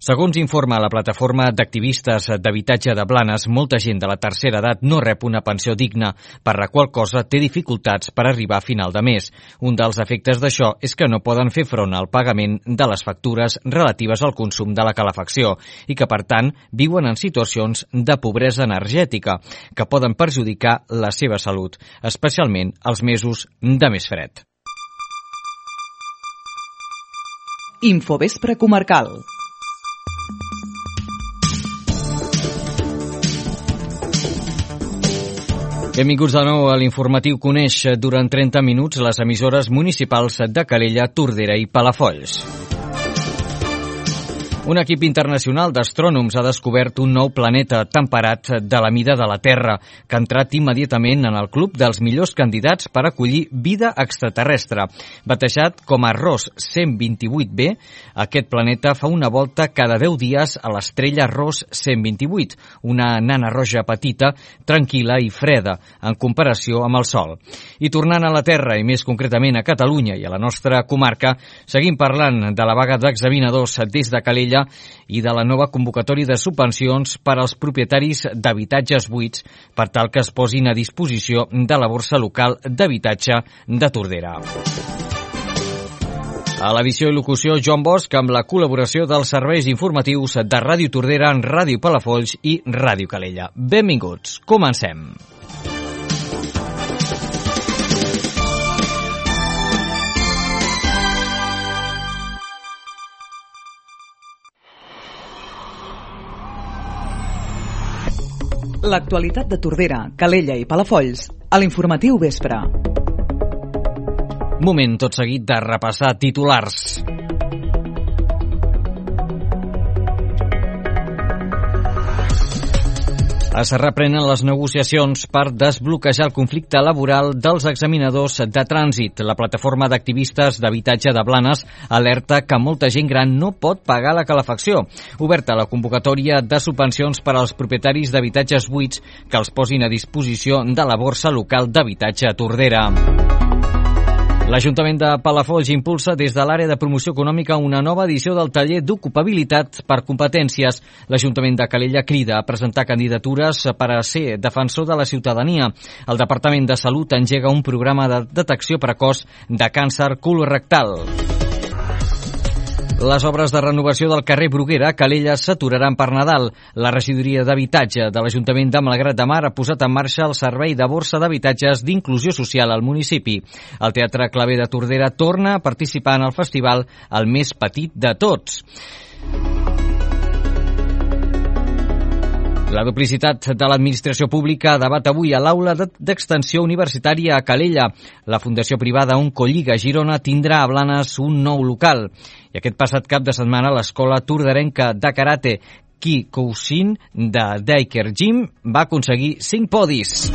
Segons informa la plataforma d'activistes d'habitatge de Blanes, molta gent de la tercera edat no rep una pensió digna, per la qual cosa té dificultats per arribar a final de mes. Un dels efectes d'això és que no poden fer front al pagament de les factures relatives al consum de la calefacció i que, per tant, viuen en situacions de pobresa energètica que poden perjudicar la seva salut, especialment els mesos de més fred. Infovespre comarcal. Benvinguts de nou a l'informatiu Coneix durant 30 minuts les emissores municipals de Calella, Tordera i Palafolls. Un equip internacional d'astrònoms ha descobert un nou planeta temperat de la mida de la Terra, que ha entrat immediatament en el club dels millors candidats per acollir vida extraterrestre. Batejat com a Ross 128b, aquest planeta fa una volta cada 10 dies a l'estrella Ross 128, una nana roja petita, tranquil·la i freda, en comparació amb el Sol. I tornant a la Terra, i més concretament a Catalunya i a la nostra comarca, seguim parlant de la vaga d'examinadors des de Calella i de la nova convocatòria de subvencions per als propietaris d'habitatges buits per tal que es posin a disposició de la borsa local d'habitatge de Tordera. A l'edició i locució, Joan Bosch, amb la col·laboració dels serveis informatius de Ràdio Tordera, Ràdio Palafolls i Ràdio Calella. Benvinguts, comencem. L'actualitat de Tordera, Calella i Palafolls a l'informatiu vespre. Moment tot seguit de repassar titulars. Es reprenen les negociacions per desbloquejar el conflicte laboral dels examinadors de trànsit. La plataforma d'activistes d'habitatge de Blanes alerta que molta gent gran no pot pagar la calefacció. Oberta la convocatòria de subvencions per als propietaris d'habitatges buits que els posin a disposició de la borsa local d'habitatge a Tordera. L'Ajuntament de Palafolls impulsa des de l'àrea de promoció econòmica una nova edició del taller d'ocupabilitat per competències. L'Ajuntament de Calella crida a presentar candidatures per a ser defensor de la ciutadania. El Departament de Salut engega un programa de detecció precoç de càncer colorectal. Les obres de renovació del carrer Bruguera a Calella s'aturaran per Nadal. La regidoria d'habitatge de l'Ajuntament de Malgrat de Mar ha posat en marxa el servei de borsa d'habitatges d'inclusió social al municipi. El Teatre Claver de Tordera torna a participar en el festival El més petit de tots. La duplicitat de l'administració pública debat avui a l'aula d'extensió universitària a Calella. La fundació privada Oncolliga Girona tindrà a Blanes un nou local. I aquest passat cap de setmana l'escola torderenca de karate Kikousin de Daiker Gym va aconseguir 5 podis.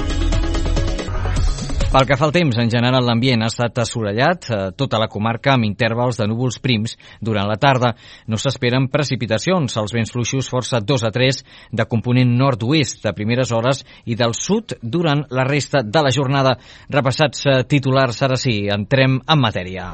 Pel que fa al temps, en general l'ambient ha estat assolellat a tota la comarca amb intervals de núvols prims durant la tarda. No s'esperen precipitacions. Els vents fluixos força 2 a 3 de component nord-oest de primeres hores i del sud durant la resta de la jornada. Repassats titulars, ara sí, entrem en matèria.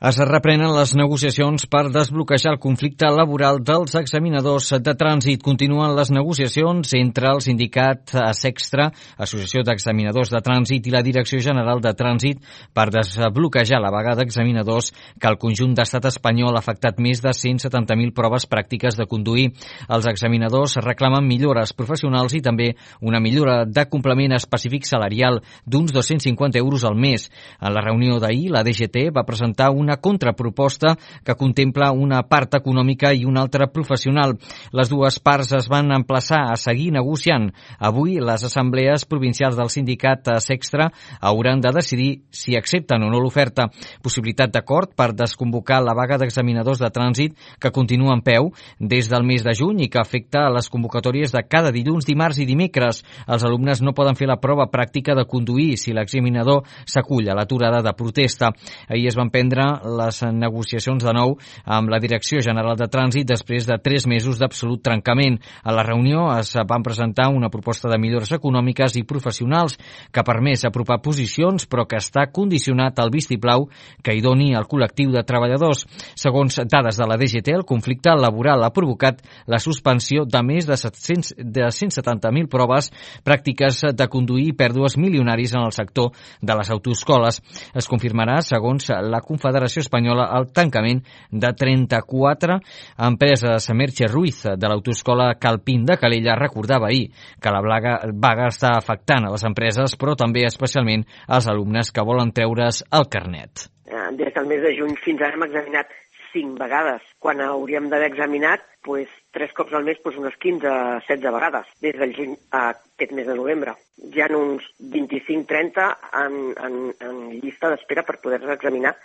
Es reprenen les negociacions per desbloquejar el conflicte laboral dels examinadors de trànsit. Continuen les negociacions entre el sindicat Sextra, Associació d'Examinadors de Trànsit, i la Direcció General de Trànsit per desbloquejar la vaga d'examinadors que al conjunt d'estat espanyol ha afectat més de 170.000 proves pràctiques de conduir. Els examinadors reclamen millores professionals i també una millora de complement específic salarial d'uns 250 euros al mes. En la reunió d'ahir, la DGT va presentar una contraproposta que contempla una part econòmica i una altra professional. Les dues parts es van emplaçar a seguir negociant. Avui, les assemblees provincials del sindicat Sextra hauran de decidir si accepten o no l'oferta. Possibilitat d'acord per desconvocar la vaga d'examinadors de trànsit que continua en peu des del mes de juny i que afecta a les convocatòries de cada dilluns, dimarts i dimecres. Els alumnes no poden fer la prova pràctica de conduir si l'examinador s'acull a l'aturada de protesta. Ahir es van prendre les negociacions de nou amb la Direcció General de Trànsit després de 3 mesos d'absolut trencament. A la reunió es van presentar una proposta de millores econòmiques i professionals que ha permès apropar posicions, però que està condicionat al vistiplau que hi doni el col·lectiu de treballadors. Segons dades de la DGT, el conflicte laboral ha provocat la suspensió de més de 170.000 proves pràctiques de conduir i pèrdues milionaris en el sector de les autoescoles. Es confirmarà, segons la Confederació Espanyola, el tancament de 34 empreses. Merche Ruiz, de l'autoescola Calpín de Calella, recordava ahir que la vaga està afectant a les empreses, però també especialment als alumnes que volen treure's el carnet. Des del mes de juny fins ara hem examinat 5 vegades, quan hauríem d'haver examinat 3 cops al mes, unes 15-16 vegades, des del juny a aquest mes de novembre. Hi ha uns 25-30 en llista d'espera per poder-se examinar,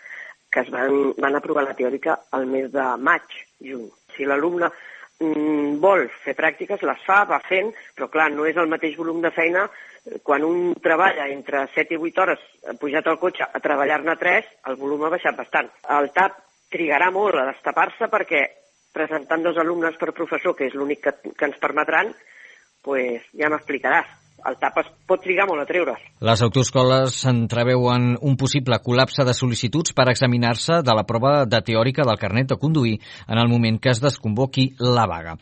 que es van aprovar la teòrica al mes de maig, juny. Si l'alumne vol fer pràctiques, les va fent, però clar, no és el mateix volum de feina. Quan un treballa entre 7 i 8 hores pujat al cotxe a treballar-ne 3, el volum ha baixat bastant. El TAP trigarà molt a destapar-se perquè presentant 2 alumnes per professor, que és l'únic que ens permetran, ja m'explicaràs. El TAP es pot trigar molt a treure's. Les autoescoles entreveuen un possible col·lapse de sol·licituds per examinar-se de la prova de teòrica del carnet de conduir en el moment que es desconvoqui la vaga.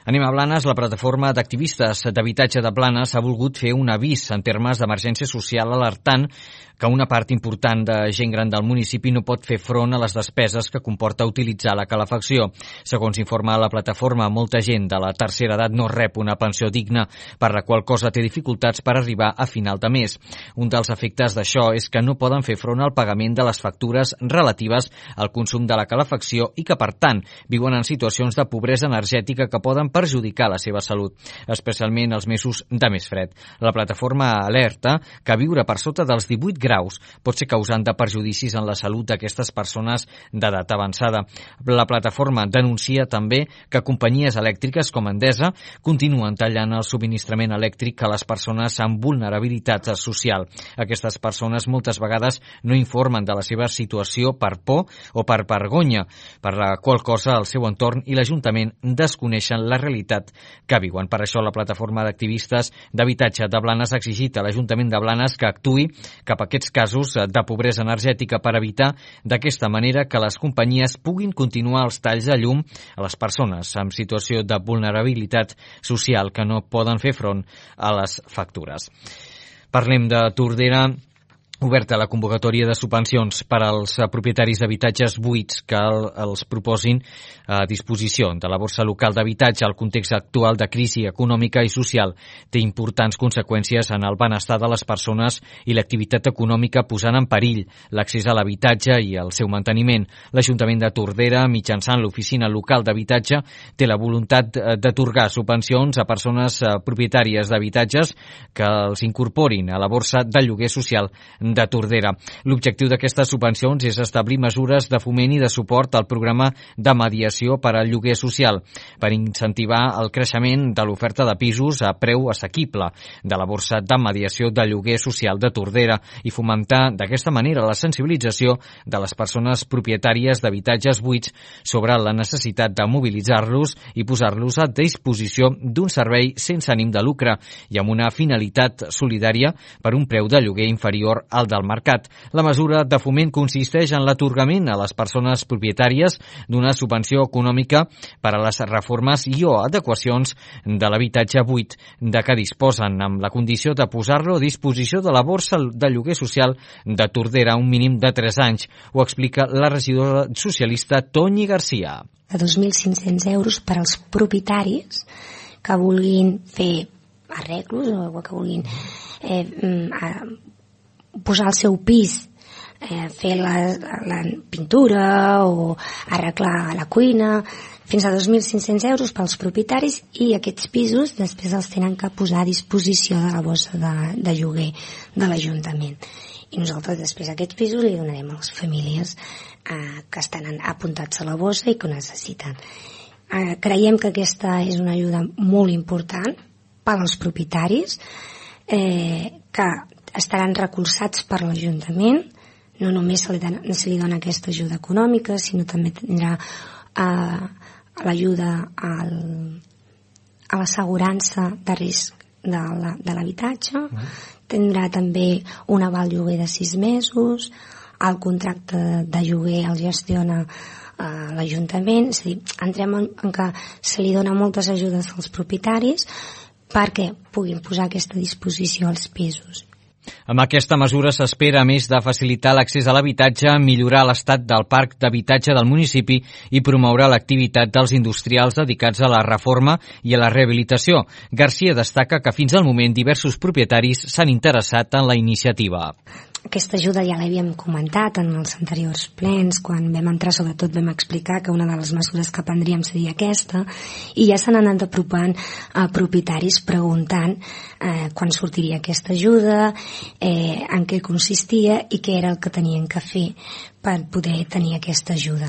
Anem a Blanes. La plataforma d'activistes d'habitatge de Blanes ha volgut fer un avís en termes d'emergència social alertant que una part important de gent gran del municipi no pot fer front a les despeses que comporta utilitzar la calefacció. Segons informa la plataforma, molta gent de la tercera edat no rep una pensió digna, per la qual cosa té dificultats per arribar a final de mes. Un dels efectes d'això és que no poden fer front al pagament de les factures relatives al consum de la calefacció i que, per tant, viuen en situacions de pobresa energètica que poden perjudicar la seva salut, especialment els mesos de més fred. La plataforma alerta que viure per sota dels 18 graus pot ser causant de perjudicis en la salut d'aquestes persones d'edat avançada. La plataforma denuncia també que companyies elèctriques com Endesa continuen tallant el subministrament elèctric a les persones amb vulnerabilitat social. Aquestes persones moltes vegades no informen de la seva situació per por o per vergonya, per la qual cosa el seu entorn i l'Ajuntament desconeixen la realitat que viuen. Per això la plataforma d'activistes d'habitatge de Blanes ha exigit a l'Ajuntament de Blanes que actuï cap a aquests casos de pobresa energètica per evitar d'aquesta manera que les companyies puguin continuar els talls de llum a les persones en situació de vulnerabilitat social que no poden fer front a les factures. Parlem de Tordera. Oberta la convocatòria de subvencions per als propietaris d'habitatges buits que els proposin a disposició de la borsa local d'habitatge. El context actual de crisi econòmica i social té importants conseqüències en el benestar de les persones i l'activitat econòmica, posant en perill l'accés a l'habitatge i el seu manteniment. L'Ajuntament de Tordera, mitjançant l'Oficina Local d'Habitatge, té la voluntat d'atorgar subvencions a persones propietàries d'habitatges que els incorporin a la borsa de lloguer social de Tordera. L'objectiu d'aquestes subvencions és establir mesures de foment i de suport al programa de mediació per al lloguer social, per incentivar el creixement de l'oferta de pisos a preu assequible de la borsa de mediació de lloguer social de Tordera i fomentar d'aquesta manera la sensibilització de les persones propietàries d'habitatges buits sobre la necessitat de mobilitzar-los i posar-los a disposició d'un servei sense ànim de lucre i amb una finalitat solidària per un preu de lloguer inferior al del mercat. La mesura de foment consisteix en l'atorgament a les persones propietàries d'una subvenció econòmica per a les reformes i o adequacions de l'habitatge buit de què disposen, amb la condició de posar-lo a disposició de la borsa de lloguer social de Tordera un mínim de 3 anys. Ho explica la regidora socialista Toñi Garcia. De 2.500 euros per als propietaris que vulguin fer arreglos o que vulguin posar el seu pis, fer la pintura o arreglar la cuina, fins a 2.500 euros pels propietaris, i aquests pisos després els tenen que posar a disposició de la borsa de lloguer de l'Ajuntament. I nosaltres després aquests pisos li donarem a les famílies que estan apuntats a la borsa i que ho necessiten. Creiem que aquesta és una ajuda molt important per als propietaris, que estaran recolzats per l'Ajuntament, no només se li dona aquesta ajuda econòmica, sinó també tindrà l'ajuda a l'assegurança de risc de l'habitatge, tindrà també un aval lloguer de 6 mesos, el contracte de lloguer el gestiona l'Ajuntament, és a dir, entrem en que se li dona moltes ajudes als propietaris perquè puguin posar a aquesta disposició els pisos. Amb aquesta mesura s'espera, a més de facilitar l'accés a l'habitatge, millorar l'estat del parc d'habitatge del municipi i promoure l'activitat dels industrials dedicats a la reforma i a la rehabilitació. Garcia destaca que fins al moment diversos propietaris s'han interessat en la iniciativa. Aquesta ajuda ja l'havíem comentat en els anteriors plens, quan vam entrar sobretot vam explicar que una de les mesures que prendríem seria aquesta, i ja s'han anat apropant a propietaris preguntant quan sortiria aquesta ajuda, en què consistia i què era el que tenien que fer per poder tenir aquesta ajuda.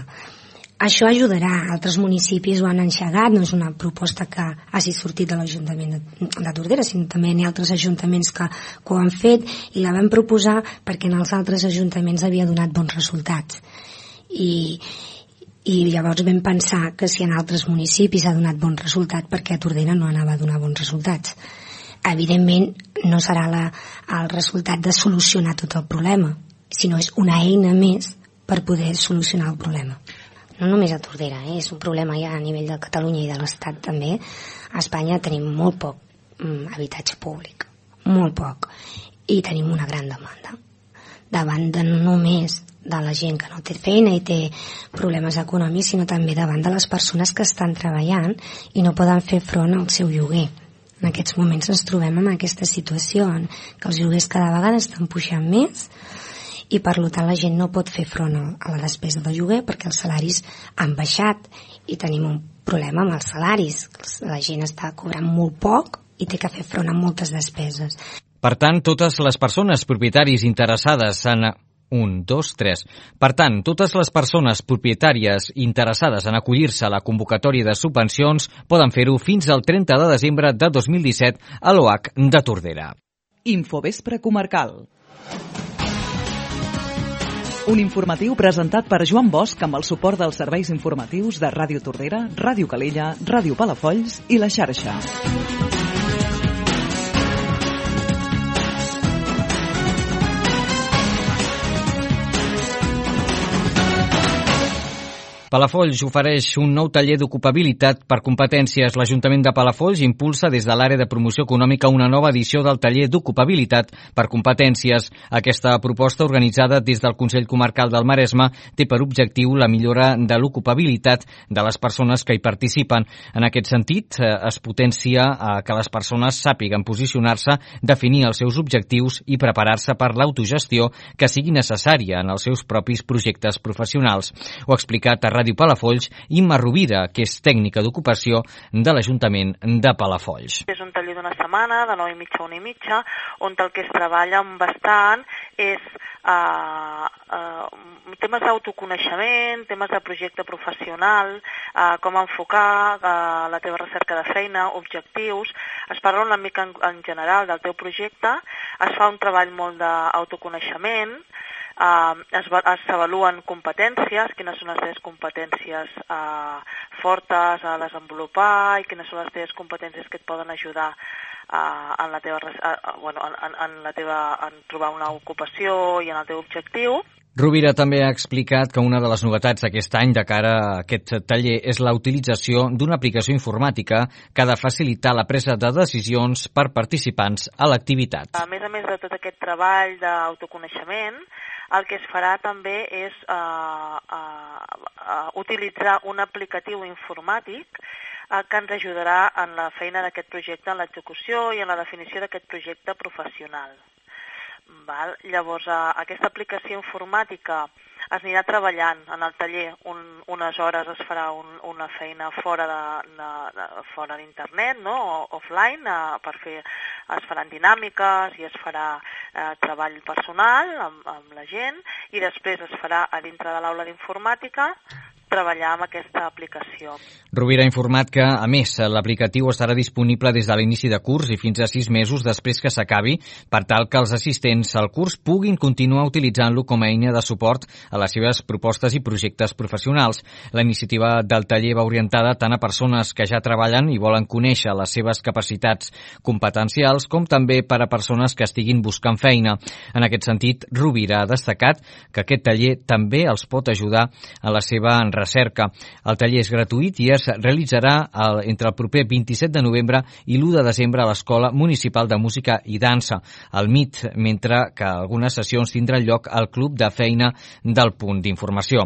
Això ajudarà, altres municipis ho han enxegat, no és una proposta que hagi sortit de l'Ajuntament de Tordera, sinó també hi ha altres ajuntaments que ho han fet i la vam proposar perquè en els altres ajuntaments havia donat bons resultats. I llavors vam pensar que si en altres municipis ha donat bon resultat, perquè a Tordera no anava a donar bons resultats. Evidentment no serà el resultat de solucionar tot el problema, sinó és una eina més per poder solucionar el problema. No només a Tordera, és un problema ja a nivell de Catalunya i de l'Estat també. A Espanya tenim molt poc habitatge públic, molt poc, i tenim una gran demanda. Davant de no només de la gent que no té feina i té problemes econòmics, sinó també davant de les persones que estan treballant i no poden fer front al seu lloguer. En aquests moments ens trobem en aquesta situació en què els lloguers cada vegada estan pujant més i per tant la gent no pot fer front a la despesa del lloguer perquè els salaris han baixat i tenim un problema amb els salaris. La gent està cobrant molt poc i té que fer front a moltes despeses. Per tant, totes les persones propietaris interessades en... Per tant, totes les persones propietàries interessades en acollir-se a la convocatòria de subvencions poden fer-ho fins al 30 de desembre de 2017 a l'OAC de Tordera. Infovespre comarcal. Un informatiu presentat per Joan Bosch amb el suport dels serveis informatius de Ràdio Tordera, Ràdio Calella, Ràdio Palafolls i La Xarxa. Palafolls ofereix un nou taller d'ocupabilitat per competències. L'Ajuntament de Palafolls impulsa des de l'àrea de promoció econòmica una nova edició del taller d'ocupabilitat per competències. Aquesta proposta, organitzada des del Consell Comarcal del Maresme, té per objectiu la millora de l'ocupabilitat de les persones que hi participen. En aquest sentit, es potencia que les persones sàpiguen posicionar-se, definir els seus objectius i preparar-se per l'autogestió que sigui necessària en els seus propis projectes professionals. Ho ha explicat a Ràdio Palafolls Imma Rovira, que és tècnica d'ocupació de l'Ajuntament de Palafolls. És un taller d'una setmana, de 9:30 a 1:30, on el que es treballa bastant és temes d'autoconeixement, temes de projecte professional, com enfocar la teva recerca de feina, objectius. Es parla una mica en general del teu projecte, es fa un treball molt d'autoconeixement, s'avaluen competències, quines són les teves competències fortes a desenvolupar i quines són les teves competències que et poden ajudar en trobar una ocupació i en el teu objectiu. Rovira també ha explicat que una de les novetats aquest any de cara a aquest taller és la utilització d'una aplicació informàtica que ha de facilitar la presa de decisions per participants a l'activitat. A més de tot aquest treball d'autoconeixement, el que es farà també és utilitzar un aplicatiu informàtic que ens ajudarà en la feina d'aquest projecte, en l'execució i en la definició d'aquest projecte professional. Llavors, aquesta aplicació informàtica es anirà treballant en el taller. Unes hores es farà una feina fora d'internet, no? Offline, es faran dinàmiques i es farà treball personal amb la gent, i després es farà a dintre de l'aula d'informàtica treballar amb aquesta aplicació. Rovira ha informat que, a més, l'aplicatiu estarà disponible des de l'inici de curs i fins a 6 mesos després que s'acabi, per tal que els assistents al curs puguin continuar utilitzant-lo com a eina de suport a les seves propostes i projectes professionals. La iniciativa del taller va orientada tant a persones que ja treballen i volen conèixer les seves capacitats competencials, com també per a persones que estiguin buscant feina. En aquest sentit, Rovira ha destacat que aquest taller també els pot ajudar a la seva recerca. El taller és gratuït i es realitzarà entre el proper 27 de novembre i l'1 de desembre a l'Escola Municipal de Música i Dansa, al MIT, mentre que algunes sessions tindran lloc al Club de Feina del Punt d'Informació.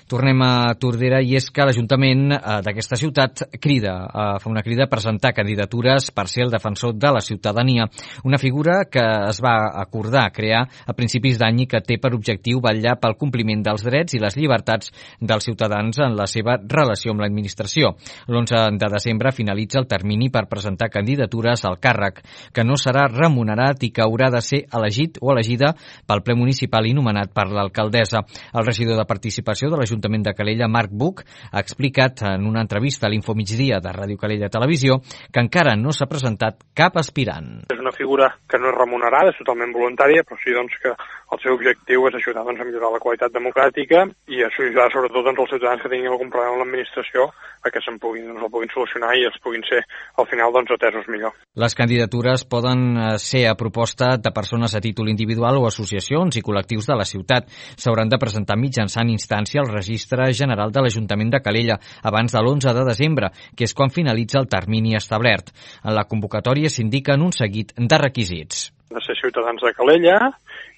Tornem a Tordera i és que l'Ajuntament d'aquesta ciutat fa una crida a presentar candidatures per ser el defensor de la ciutadania, una figura que es va acordar crear a principis d'any i que té per objectiu vetllar pel compliment dels drets i les llibertats dels ciutadans en la seva relació amb l'administració. L'11 de desembre finalitza el termini per presentar candidatures al càrrec, que no serà remunerat i que haurà de ser elegit o elegida pel ple municipal i nomenat per l'alcaldessa. El regidor de Participació de l'Ajuntament de Calella, Marc Buch, ha explicat en una entrevista a l'Infomigdia de Ràdio Calella Televisió que encara no s'ha presentat cap aspirant. És una figura que no és remunerada, és totalment voluntària, però sí que el seu objectiu és ajudar a millorar la qualitat democràtica i ajudar sobretot els ciutadans que tinguin algun problema amb l'administració a que el puguin solucionar i els puguin ser al final atesos millor. Les candidatures poden ser a proposta de persones a títol individual o associacions i col·lectius de la ciutat. S'hauran de presentar mitjançant instància al Registre General de l'Ajuntament de Calella abans de l'11 de desembre, que és quan finalitza el termini establert. En la convocatòria s'indiquen un seguit de requisits. Han de ser ciutadans de Calella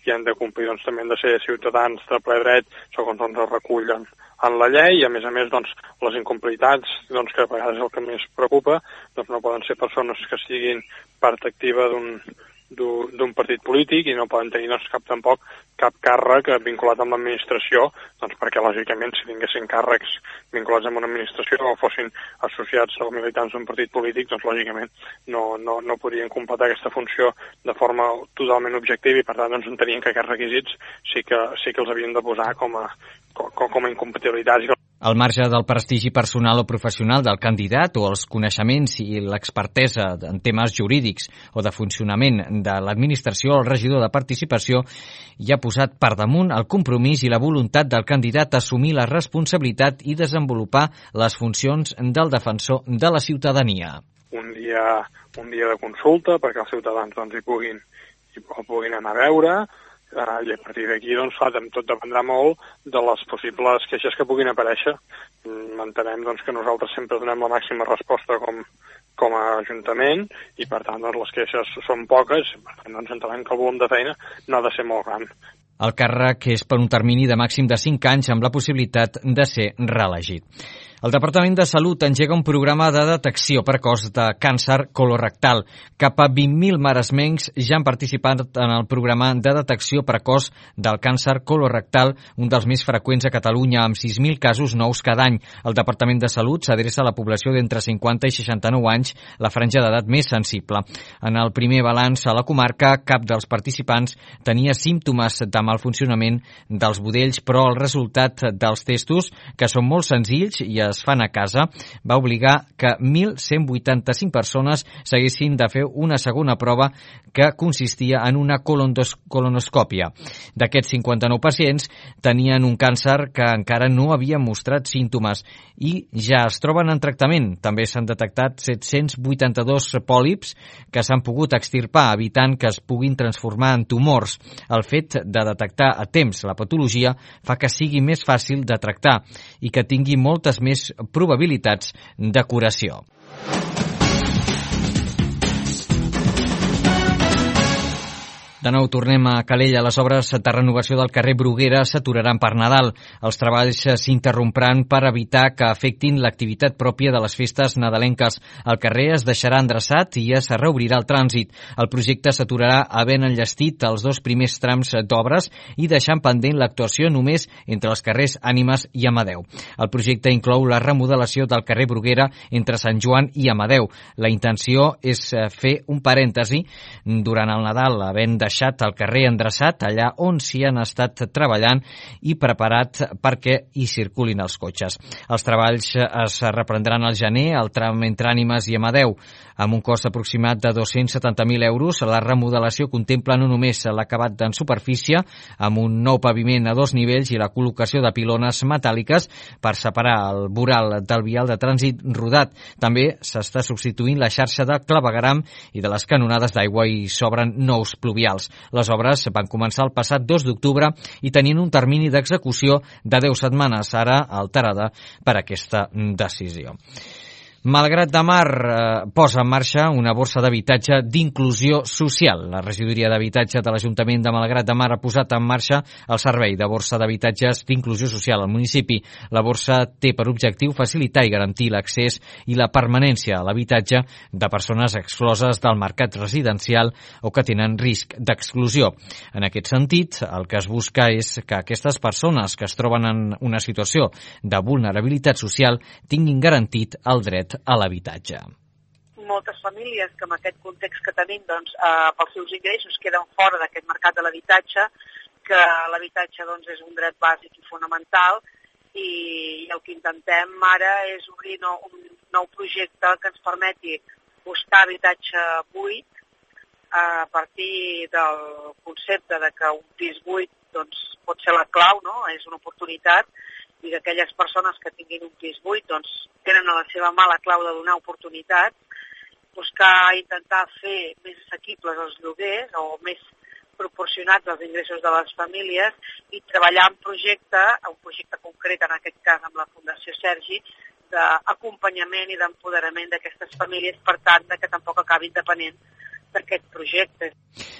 i han de complir també han de ser ciutadans de ple dret segons es recullen en la llei i a més les incomplicitats que a vegades és el que més preocupa, no poden ser persones que siguin part activa d'un partit polític i no poden tenir tampoc cap càrrec vinculat amb l'administració, perquè lògicament si tinguessin càrrecs vinculats amb una administració o fossin associats o militants d'un partit polític, lògicament no podrien completar aquesta funció de forma totalment objectiva i per tant entenien que aquests requisits sí que els havien de posar com a incompatibilitats. Al marge del prestigi personal o professional del candidat o els coneixements i l'expertesa en temes jurídics o de funcionament de l'administració, el regidor de Participació hi ha posat per damunt el compromís i la voluntat del candidat a assumir la responsabilitat i desenvolupar les funcions del defensor de la ciutadania. Un dia de consulta perquè els ciutadans el puguin anar a veure, i a partir d'aquí, tot dependrà molt de les possibles queixes que puguin aparèixer. Entenem que nosaltres sempre donem la màxima resposta com a Ajuntament i, per tant, les queixes són poques, per tant, entenem que el volum de feina no ha de ser molt gran. El càrrec és per un termini de màxim de 5 anys amb la possibilitat de ser reelegit. El Departament de Salut engega un programa de detecció precoç de càncer colorectal. Cap a 20.000 maresmencs ja han participat en el programa de detecció precoç del càncer colorectal, un dels més freqüents a Catalunya, amb 6.000 casos nous cada any. El Departament de Salut s'adreça a la població d'entre 50 i 69 anys, la franja d'edat més sensible. En el primer balanç a la comarca, cap dels participants tenia símptomes de malfuncionament dels budells, però el resultat dels testos, que són molt senzills i es fan a casa, va obligar que 1.185 persones s'haguessin de fer una segona prova que consistia en una colonoscòpia. D'aquests 59 pacients tenien un càncer que encara no havia mostrat símptomes i ja es troben en tractament. També s'han detectat 782 pòlips que s'han pogut extirpar, evitant que es puguin transformar en tumors. El fet de detectar a temps la patologia fa que sigui més fàcil de tractar i que tingui moltes més probabilitats de curació. De nou tornem a Calella. Les obres de renovació del carrer Bruguera s'aturaran per Nadal. Els treballs s'interrompran per evitar que afectin l'activitat pròpia de les festes nadalenques. El carrer es deixarà endreçat i es reobrirà el trànsit. El projecte s'aturarà havent enllestit els 2 primers trams d'obres i deixant pendent l'actuació només entre els carrers Ànimes i Amadeu. El projecte inclou la remodelació del carrer Bruguera entre Sant Joan i Amadeu. La intenció és fer un parèntesi durant el Nadal, havent deixat deixat el carrer endreçat allà on s'hi han estat treballant i preparat perquè hi circulin els cotxes. Els treballs es reprendran al gener al tram entre Ànimes i Amadeu. Amb un cost aproximat de 270.000 euros, la remodelació contempla no només l'acabat en superfície, amb un nou paviment a 2 nivells i la col·locació de pilones metàl·liques per separar el voral del vial de trànsit rodat. També s'està substituint la xarxa de clavegueram i de les canonades d'aigua i s'obren nous pluvials. Les obres van començar el passat 2 d'octubre i tenien un termini d'execució de 10 setmanes, ara alterada per aquesta decisió. Malgrat de Mar posa en marxa una borsa d'habitatge d'inclusió social. La regidoria d'habitatge de l'Ajuntament de Malgrat de Mar ha posat en marxa el servei de borsa d'habitatges d'inclusió social al municipi. La borsa té per objectiu facilitar i garantir l'accés i la permanència a l'habitatge de persones excloses del mercat residencial o que tenen risc d'exclusió. En aquest sentit, el que es busca és que aquestes persones que es troben en una situació de vulnerabilitat social tinguin garantit el dret a l'habitatge. Moltes famílies que amb aquest context que tenim, doncs, pels seus ingressos queden fora d'aquest mercat de l'habitatge, que l'habitatge doncs, és un dret bàsic i fonamental, i el que intentem ara és obrir un nou projecte que ens permeti buscar habitatge buit a partir del concepte de que un pis buit doncs, pot ser la clau, no? És una oportunitat, i que aquelles persones que tinguin un pis buit doncs, tenen a la seva mà la clau de donar oportunitats, buscar intentar fer més assequibles els lloguers o més proporcionats als ingressos de les famílies i treballar en un projecte concret, en aquest cas amb la Fundació Sergi, d'acompanyament i d'empoderament d'aquestes famílies, per tant, que tampoc acabin depenent d'aquest projecte.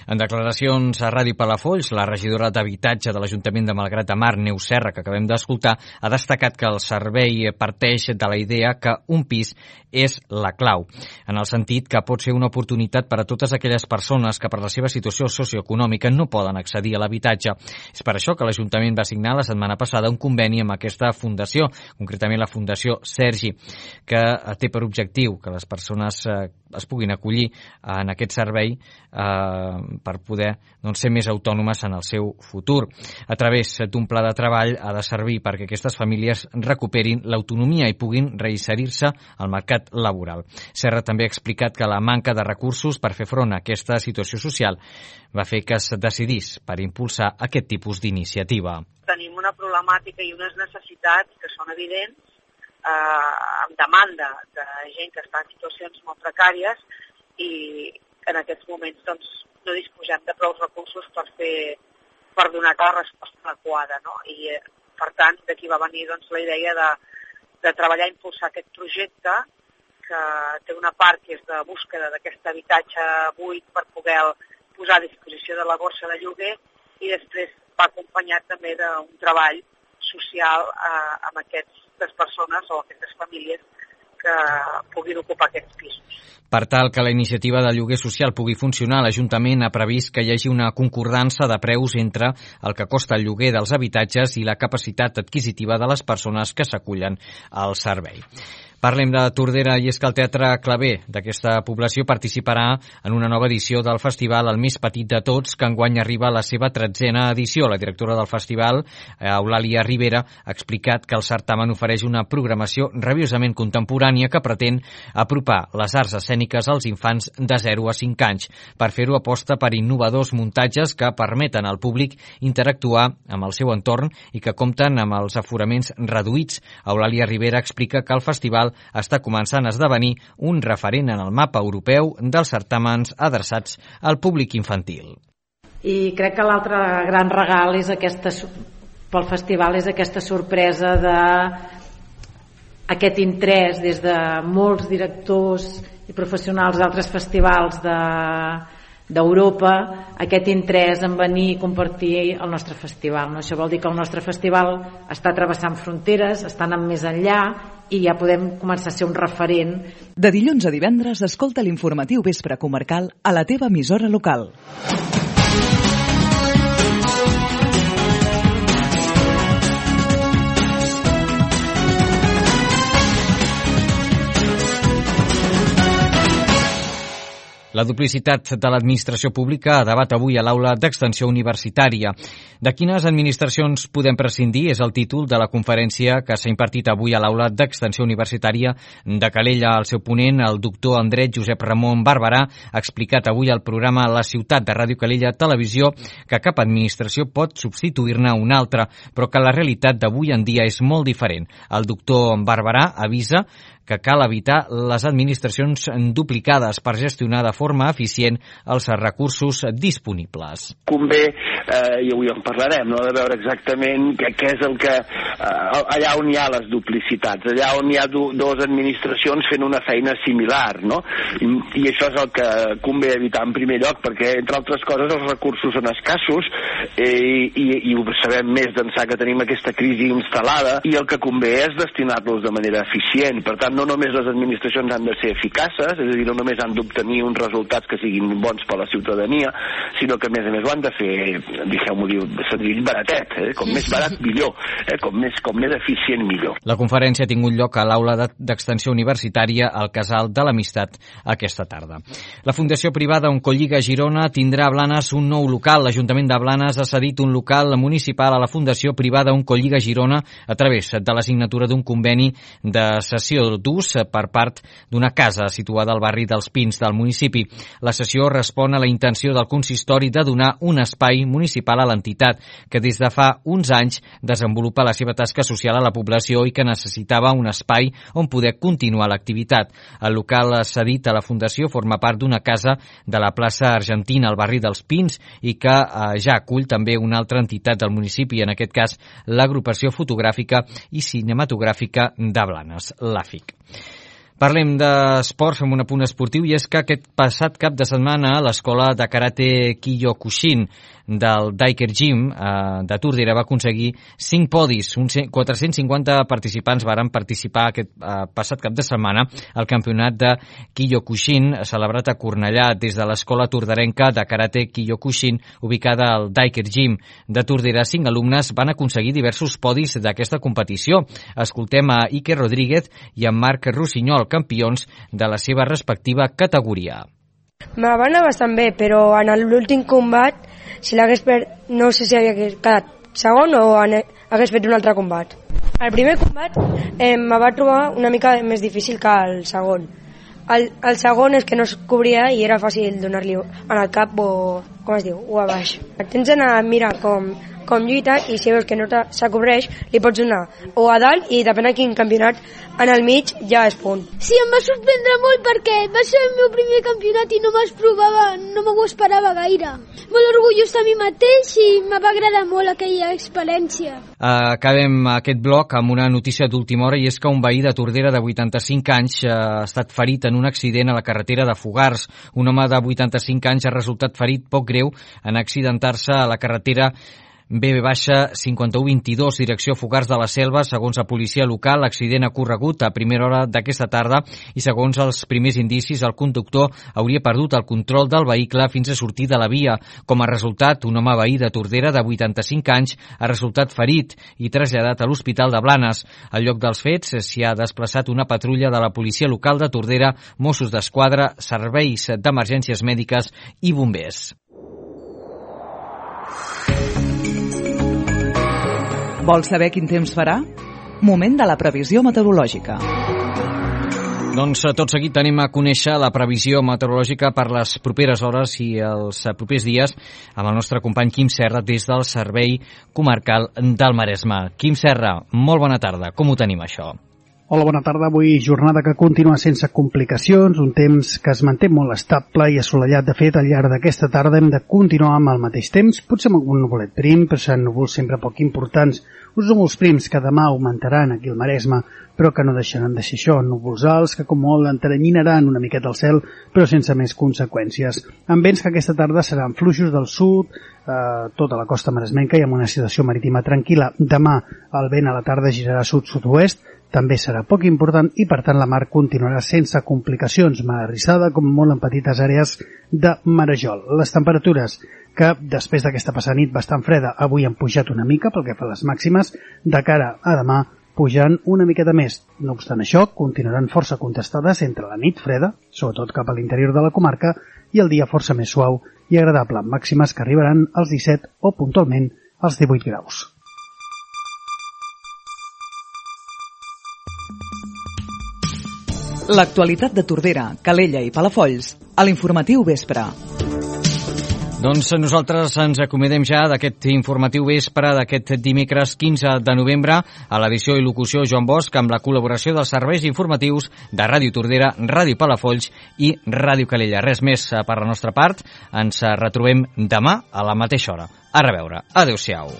En declaracions a Ràdio Palafolls, la regidora d'Habitatge de l'Ajuntament de Malgrat de Mar, Neus Serra, que acabem d'escoltar, ha destacat que el servei parteix de la idea que un pis és la clau, en el sentit que pot ser una oportunitat per a totes aquelles persones que per la seva situació socioeconòmica no poden accedir a l'habitatge. És per això que l'Ajuntament va signar la setmana passada un conveni amb aquesta fundació, concretament la Fundació Sergi, que té per objectiu que les persones es puguin acollir en aquest servei per poder ser més autònomes en el seu futur. A través d'un pla de treball ha de servir perquè aquestes famílies recuperin l'autonomia i puguin reinserir-se al mercat laboral. Serra també ha explicat que la manca de recursos per fer front a aquesta situació social va fer que es decidís per impulsar aquest tipus d'iniciativa. Tenim una problemàtica i unes necessitats que són evidents, amb demanda de gent que està en situacions molt precàries i en aquests moments doncs, no disposem de prou recursos per donar la resposta adequada. No? I per tant, d'aquí va venir doncs, la idea de treballar i impulsar aquest projecte que té una part que és de búsqueda d'aquest habitatge buit per poder posar a disposició de la borsa de lloguer i després va acompanyat també d'un treball social amb aquestes persones o aquestes famílies que puguin ocupar aquests pisos. Per tal que la iniciativa de lloguer social pugui funcionar, l'Ajuntament ha previst que hi hagi una concordança de preus entre el que costa el lloguer dels habitatges i la capacitat adquisitiva de les persones que s'acullen al servei. Parlem de Tordera i és que el Teatre Claver d'aquesta població participarà en una nova edició del festival El més petit de tots, que enguany arriba a la seva 13a edició. La directora del festival, Eulàlia Rivera, ha explicat que el certamen ofereix una programació rabiosament contemporània que pretén apropar les arts escèniques als infants de 0 a 5 anys. Per fer-ho aposta per innovadors muntatges que permeten al públic interactuar amb el seu entorn i que compten amb els aforaments reduïts. Eulàlia Rivera explica que el festival està començant a esdevenir un referent en el mapa europeu dels certàmens adreçats al públic infantil. I crec que l'altre gran regal és pel festival és aquesta sorpresa d'aquest interès des de molts directors i professionals d'altres festivals d'Europa, aquest interès en venir i compartir el nostre festival. No? Això vol dir que el nostre festival està travessant fronteres, està anant més enllà i ja podem començar a ser un referent. De dilluns a divendres, escolta l'informatiu Vespre Comarcal a la teva emissora local. La duplicitat de l'administració pública a debat avui a l'aula d'extensió universitària. De quines administracions podem prescindir és el títol de la conferència que s'ha impartit avui a l'aula d'extensió universitària de Calella. El seu ponent, el doctor en dret Josep Ramon Barberà, ha explicat avui al programa La Ciutat de Ràdio Calella Televisió que cap administració pot substituir-ne una altra, però que la realitat d'avui en dia és molt diferent. El doctor Barberà avisa que cal evitar les administracions duplicades per gestionar de forma eficient els recursos disponibles. Convé, i avui en parlarem, no?, de veure exactament què és el que... allà on hi ha les duplicitats, allà on hi ha dues administracions fent una feina similar, no? I això és el que convé evitar en primer lloc, perquè, entre altres coses, els recursos són escassos i ho sabem més d'ençà que tenim aquesta crisi instal·lada, i el que convé és destinar-los de manera eficient. Per tant, no només les administracions han de ser eficaces, és a dir, no només han d'obtenir uns resultats que siguin bons per a la ciutadania, sinó que a més ho han de fer, deixeu-m'ho dir, senzill, baratet, com més barat millor, com més eficient millor. La conferència ha tingut lloc a l'aula d'extensió universitària al Casal de l'Amistat aquesta tarda. La Fundació Privada Oncolliga Girona tindrà a Blanes un nou local. L'Ajuntament de Blanes ha cedit un local municipal a la Fundació Privada Oncolliga Girona a través de la signatura d'un conveni de cessió d'ús per part d'una casa situada al barri dels Pins del municipi. La cessió respon a la intenció del consistori de donar un espai municipal a l'entitat, que des de fa uns anys desenvolupa la seva tasca social a la població i que necessitava un espai on poder continuar l'activitat. El local cedit a la Fundació forma part d'una casa de la plaça Argentina, al barri dels Pins, i que ja acull també una altra entitat del municipi, en aquest cas l'Agrupació Fotogràfica i Cinematogràfica de Blanes, l'AFIC. Parlem d'esports, fem un apunt esportiu, i és que aquest passat cap de setmana l'Escola de Karate Kyokushin del Daiker Gym de Tordera va aconseguir 5 podis. 450 participants varen participar aquest passat cap de setmana al campionat de Kyokushin celebrat a Cornellà des de l'Escola Torderenca de Karate Kyokushin ubicada al Daiker Gym de Tordera. 5 alumnes van aconseguir diversos podis d'aquesta competició. Escoltem a Iker Rodríguez i a Marc Rossinyol, campions de la seva respectiva categoria. Me va anar bastant bé, però en l'últim combat, si l'hagués no sé si havia quedat segon o hagués fet un altre combat. El primer combat me va trobar una mica més difícil que el segon. El segon és que no es cobria i era fàcil donar-li en el cap o, com es diu, o a baix. Tens d'anar a mirar com lluita i si veus que no s'acobreix li pots donar o a dalt i depèn de quin campionat en el mig ja és punt. Sí, em va sorprendre molt perquè va ser el meu primer campionat i no m'ho esperava gaire. Molt orgullós de mi mateix i em va agradar molt aquella experiència. Acabem aquest bloc amb una notícia d'última hora, i és que un veí de Tordera de 85 anys ha estat ferit en un accident a la carretera de Fogars. Un home de 85 anys ha resultat ferit poc greu en accidentar-se a la carretera BB-5122, direcció Fogars de la Selva. Segons la policia local, l'accident ha ocorregut a primera hora d'aquesta tarda i segons els primers indicis, el conductor hauria perdut el control del vehicle fins a sortir de la via. Com a resultat, un home veí de Tordera de 85 anys ha resultat ferit i traslladat a l'Hospital de Blanes. Al lloc dels fets s'hi ha desplaçat una patrulla de la policia local de Tordera, Mossos d'Esquadra, serveis d'emergències mèdiques i bombers. Vols saber quin temps farà? Moment de la previsió meteorològica. Doncs tot seguit anem a conèixer la previsió meteorològica per les properes hores i els propers dies amb el nostre company Quim Serra des del Servei Comarcal del Maresme. Quim Serra, molt bona tarda. Com ho tenim, això? Hola, bona tarda. Avui jornada que continua sense complicacions, un temps que es manté molt estable i assolellat. De fet, al llarg d'aquesta tarda hem de continuar amb el mateix temps, potser amb algun nuvolet prim, però seran núvols sempre poc importants. Uns núvols prims que demà augmentaran aquí al Maresme, però que no deixaran de ser això, núvols alts que com molt enteranyinaran una miqueta el cel, però sense més conseqüències. Amb vents que aquesta tarda seran fluixos del sud, tota la costa maresmenca i amb una situació marítima tranquil·la. Demà el vent a la tarda girarà sud-sud-oest, també serà poc important i, per tant, la mar continuarà sense complicacions, mar arrissada com molt en petites àrees de marejol. Les temperatures, que després d'aquesta passada nit bastant freda, avui han pujat una mica pel que fa a les màximes, de cara a demà pujant una miqueta més. No obstant això, continuaran força contestades entre la nit freda, sobretot cap a l'interior de la comarca, i el dia força més suau i agradable, amb màximes que arribaran als 17 o puntualment als 18 graus. L'actualitat de Tordera, Calella i Palafolls a l'informatiu vespre. Doncs nosaltres ens acomodem ja d'aquest informatiu vespre d'aquest dimecres 15 de novembre a l'edició i locució Joan Bosch amb la col·laboració dels serveis informatius de Ràdio Tordera, Ràdio Palafolls i Ràdio Calella. Res més per la nostra part. Ens retrobem demà a la mateixa hora. A reveure. Adéu-siau.